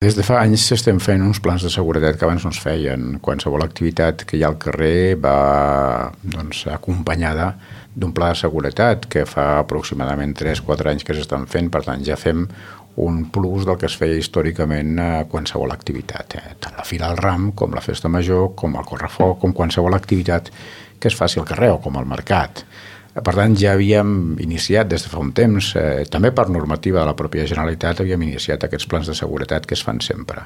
Des de fa anys estem fent uns plans de seguretat que abans no es feien. Qualsevol activitat que hi ha al carrer va acompanyada d'un pla de seguretat que fa aproximadament 3-4 anys que s'estan fent, per tant ja fem un plus del que es feia històricament a qualsevol activitat, tant la Fira del Ram com la Festa Major, com el Correfoc, com qualsevol activitat que es faci al carrer o com al mercat. Per tant, ja havíem iniciat des de fa un temps, també per normativa de la pròpia Generalitat, havíem iniciat aquests plans de seguretat que es fan sempre.